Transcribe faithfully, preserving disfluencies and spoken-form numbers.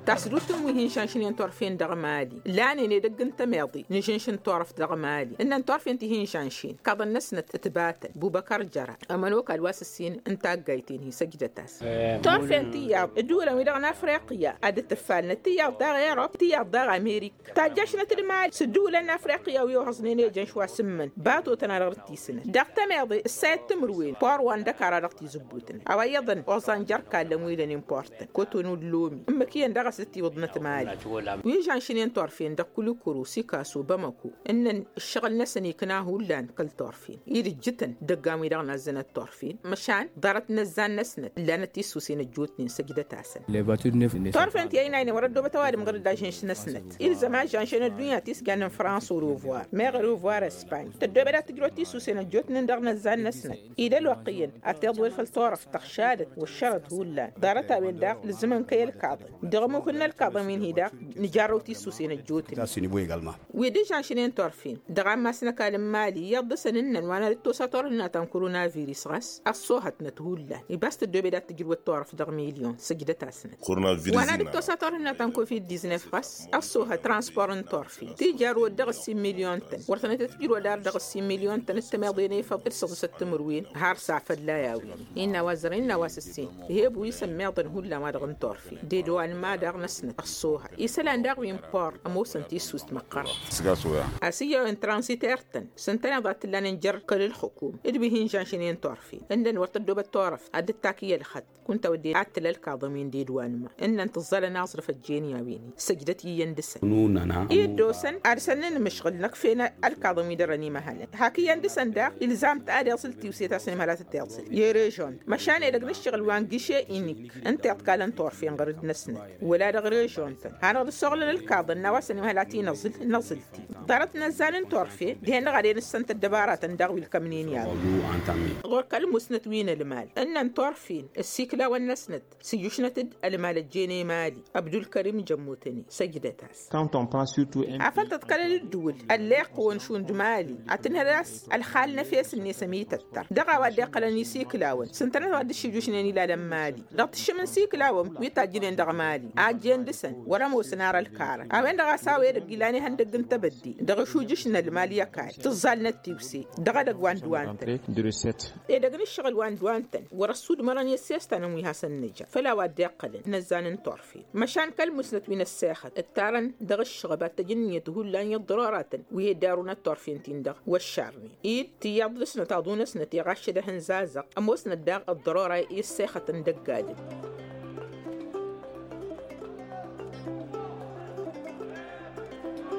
Tasdut n-wi hin-žănšnen turfen dăɣ-mali lanen edăgg n-tămeḍe n-žănš n-turăft dăɣ-mali ǝnnăn turfen ti hin-žănšen kaḍăn-năsnăt ǝtbatăn bubăkăr jăra. Ămănokal a-wa s-ǝssin n-taggayt-en-hi săjdăt-as. Turfen tiyyăḍ ǝddǝwǝlăn-wi-dăɣ n-afriqya ad-dd-tǝffalnăt tiyyăḍ daɣ erop tiyyăḍ daɣ amerik tajjăšnăt d-mali s-ǝddǝwǝlăn n-afriqya wi ohăẓnen ejăn šwa s-ǝmmǝn batotăn a dăɣ-dd-tisǝnăt dăɣ-tămeḍe ǝssayăt timǝrwen por wa n-dăkara dăɣ-tizǝbbutnen a-wa iyyăḍăn oẓan jer-kallăn wi dăɣ-n important kotonu d-lomi. Ǝmmǝk iyyăn dăɣ-s dd-tiwǝḍnăt mali wi žănšnen turfen dăɣ-kulikuru sikaso bamăko ǝnnăn ǝššăɣǝl-năsăn ikna hullan kăl-turfen idǝjjǝtăn dăggan wi-dăɣ n-azzănăt turfen măšan ḍarăt n-ăzzan-năsnăt ǝllanăt tissusen ăjjootnen săjdăt-asăn. Turfen ti ăynaynen wăr-ăddoobăt ăwadǝm ɣǝr-dd ažănš-năsnăt ilzăm ažănš n-ăddunya ti s-jannen fransa orovoir meɣ orovoir ăspany tăddoobed ad-tǝjrăwăt tissusen ăjjootnen dăɣ-năzzan-năsnăt. Ed ălwăqq iyyăn ad-tiḍwel făll-turăft tăɣšadăt wăššărăt hullan ḍarăt-a-wen daɣ ǝlzǝmăn kăy-ălkaḍăn dăɣ-ămmuk n-ălkaḍăn wi n-hi-daɣ nǝjarrăw tissusen ăjjootnen. Wi dd-žănšnen turfen dăɣ-ammas n-ăkall n-mali iyyăḍ dăɣ-săn ǝnnăn wa n-ad-dd-tosa turhǝnna ta n-koronavirus ɣas ăṣṣoohătnăt hullan ibas tăddoobed ad-tǝjrǝwăt turăft dăɣ-milyon săjdăt-asnăt. Wa n-ad-dd-tosa turhǝnna ta n-covid-diznef ɣas ăṣṣoohăt transpor n-turfen ti jarrăwăt dăɣ-ǝssin milyon-tăn wăr tănăt-tǝjrǝwăt dar dăɣ-ǝssin milyon-tăn d-tămeḍe n-efăḍ d-săḍǝsăt timǝrwen har s-afălla i-a-wen. Innă a-wa zărăn innă a-wa s-ǝssin ǝheb wi s-ămmiḍăn hullan wa dăɣ-n turfen d-edwa n-ma daɣ-năsnăt ăṣṣoohăt isălan daɣ wi n-port ămoosăn tissust măqqărăt. A-s iyya a-wen transiter-tăn s-ǝntăneḍ ad-t-ǝllanen jer-kăl-ǝlxǝkum d-wi hin-žănšnen turfen ǝndăn wăr tăddoobăt turăft ad-dd-takǝy ălxăt kunta wădden ad-t-tǝla ălkaḍăn-win d-edwa n-ma ǝnnăn tǝẓẓalăn aẓrǝf ăjjeen i-a-wen-i săjdăt iyyăn dăɣ-săn. Dd-osăn ad-săn n-imǝšɣǝl năkf'-en ălkaḍăn wi dăr-ănimăhălăn hak iyyăn dăɣ-săn daɣ ilzam-t ad-iẓǝl tiwse ta s-ănimhăl ad-tăt-iẓǝl i-režon-t măšan edăgg n-ǝššăɣǝl wa n-giše inik ǝnta iḍkalăn turfen ɣur-dd-năsnăt wăla dăɣ-režon-tăn hanăɣ-dd-ăssoɣlăn ălkaḍăn n-a-wa s-ănimhăl ad-t-in-ăẓǝl năẓǝl-t-dd ḍarăt n-ăzzan n-turfe dihen-dăɣ ad-en-ǝssăn tăddăbaratăn daɣ wi ǝlkămnen i-a-wen. Ɣur-kăl-musnăt wi n-ălmal ǝnnăn turfen ăssiklawăn-năsnăt s-ǝjjušnăt-dd ălmal ăjjeen i-mali ăbdulkărim jămmutăn-i săjdăt-as. Afăl tăḍkălăl ǝddǝwǝl ălleɣ-kăwăn šund mali ad-tǝnhăl a-s ălxal n-efes-net ămităttăr dăɣ-a-wa dd-iqqălăn isiklawăn s-ǝntănăt wa dd-ǝššǝjjušnen ilalăn mali dăɣ-tǝššǝm n-isiklawăn wi tajjǝnen dăɣ-mali a ăjjeen dăɣ-săn wăr-ămoosăn ar ălkarăn a-wen-dăɣ a-s a-wa edăgg ilan ihăndăgg n-tebădde dăɣ-ašujǝš n-ălmal i-ăkall tǝẓẓalnăt tiwse dăɣ-edăgg wa n-dd-wa ǝntăn. Edăgg n-ǝššăɣǝl wa n-dd-wa ǝntăn wăr-ăssudmărăn i-ăssestan n-wi hasăn-nǝja făll-a-wa dd-iqqălăn n-ăzzan n-turfen măšan kăl-musnăt wi n-ăssexăt ǝttarăn dăɣ-ǝššăɣăb ad-t-ăj ǝnniyăt hullan i-ăḍḍărăratăn wi he-dd-arunăt turfen-tin-dăɣ wăššarnen-dd tiyyăḍ dăɣ-snăt aḍu-năsnăt iɣaššăd ehăn zazăɣ ămoosnăt daɣ ăḍḍărăra i-ăssexătăn dăgg-adǝm.